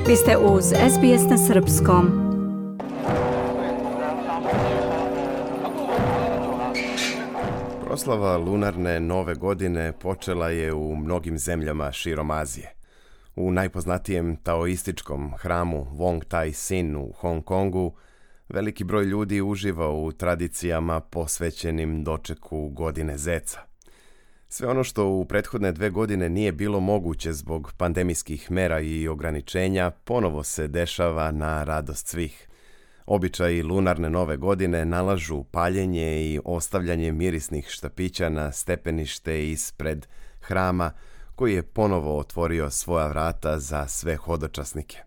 Vi ste uz SBS na srpskom. Proslava lunarne nove godine počela je u mnogim zemljama širom Azije. U najpoznatijem taoističkom hramu Wong Tai Sin u Hong Kongu veliki broj ljudi uživa u tradicijama posvećenim dočeku godine zeca. Sve ono što u prethodne 2 godine nije bilo moguće zbog pandemijskih mera i ograničenja ponovo se dešava na radost svih. Običaji lunarne nove godine nalažu paljenje i ostavljanje mirisnih štapića na stepenište ispred hrama koji je ponovo otvorio svoja vrata za sve hodočasnike.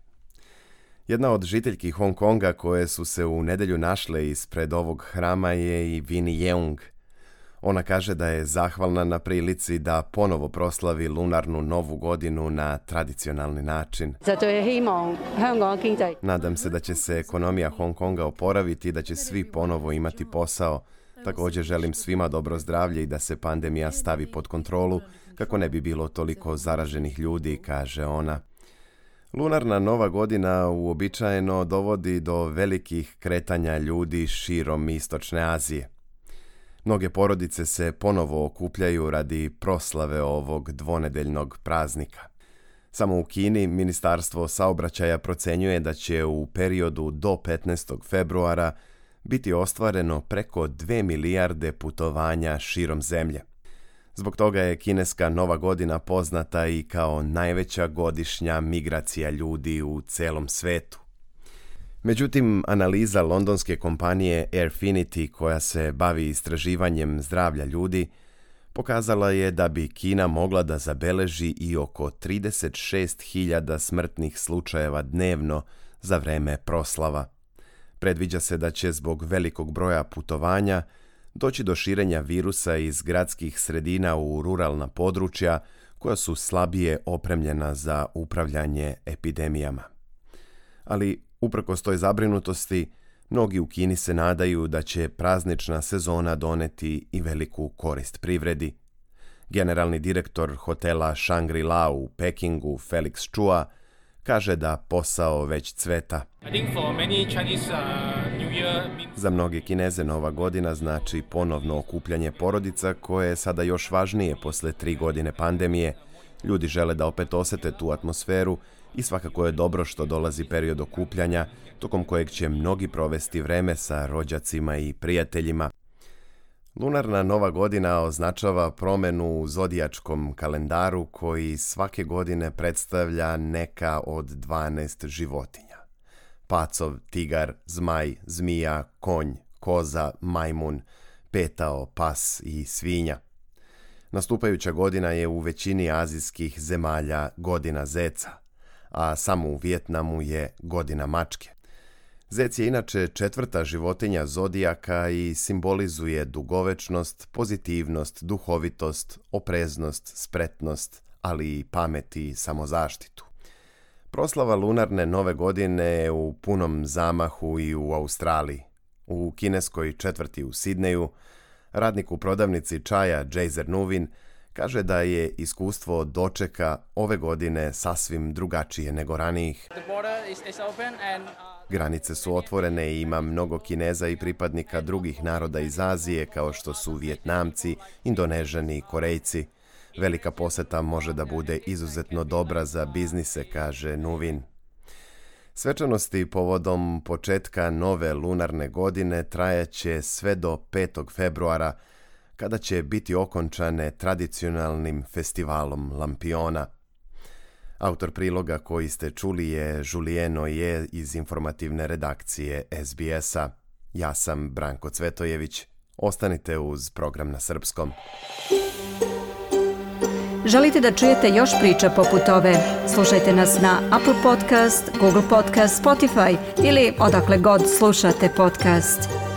Jedna od žiteljki Hong Konga koje su se u nedjelju našle ispred ovog hrama je i Winnie Yeung. Ona kaže da je zahvalna na prilici da ponovo proslavi lunarnu novu godinu na tradicionalni način. Nadam se da će se ekonomija Hong Konga oporaviti i da će svi ponovo imati posao. Također želim svima dobro zdravlje i da se pandemija stavi pod kontrolu kako ne bi bilo toliko zaraženih ljudi, kaže ona. Lunarna nova godina uobičajeno dovodi do velikih kretanja ljudi širom Istočne Azije. Mnoge porodice se ponovo okupljaju radi proslave ovog dvonedeljnog praznika. Samo u Kini Ministarstvo saobraćaja procenjuje da će u periodu do 15. februara biti ostvareno preko 2 milijarde putovanja širom zemlje. Zbog toga je kineska nova godina poznata i kao najveća godišnja migracija ljudi u celom svetu. Međutim, analiza londonske kompanije Airfinity, koja se bavi istraživanjem zdravlja ljudi, pokazala je da bi Kina mogla da zabeleži i oko 36.000 smrtnih slučajeva dnevno za vreme proslava. Predviđa se da će zbog velikog broja putovanja doći do širenja virusa iz gradskih sredina u ruralna područja koja su slabije opremljena za upravljanje epidemijama. Ali uprkos toj zabrinutosti, mnogi u Kini se nadaju da će praznična sezona doneti i veliku korist privredi. Generalni direktor hotela Shangri-La u Pekingu, Felix Chua, kaže da posao već cveta. Za mnoge Kineze nova godina znači ponovno okupljanje porodica koje je sada još važnije posle 3 godine pandemije. Ljudi žele da opet osete tu atmosferu i svakako je dobro što dolazi period okupljanja, tokom kojeg će mnogi provesti vreme sa rođacima i prijateljima. Lunarna nova godina označava promenu u zodijačkom kalendaru koji svake godine predstavlja neka od 12 životinja. Pacov, tigar, zmaj, zmija, konj, koza, majmun, petao, pas i svinja. Nastupajuća godina je u većini azijskih zemalja godina zeca, a samo u Vijetnamu je godina mačke. Zec je inače 4. životinja zodijaka i simbolizuje dugovečnost, pozitivnost, duhovitost, opreznost, spretnost, ali i pamet i samozaštitu. Proslava lunarne nove godine je u punom zamahu i u Australiji. U kineskoj četvrti u Sidneju radnik u prodavnici čaja Jaser Nuvin kaže da je iskustvo dočeka ove godine sasvim drugačije nego ranijih. Granice su otvorene i ima mnogo Kineza i pripadnika drugih naroda iz Azije kao što su Vijetnamci, Indonežani i Korejci. Velika poseta može da bude izuzetno dobra za biznise, kaže Nuvin. Svečanosti povodom početka nove lunarne godine trajaće sve do 5. februara, kada će biti okončane tradicionalnim festivalom lampiona. Autor priloga koji ste čuli je Julien Oje iz informativne redakcije SBS-a. Ja sam Branko Cvetojević. Ostanite uz program na srpskom. Želite da čujete još priča poput ove? Slušajte nas na Apple Podcast, Google Podcast, Spotify ili odakle god slušate podcast.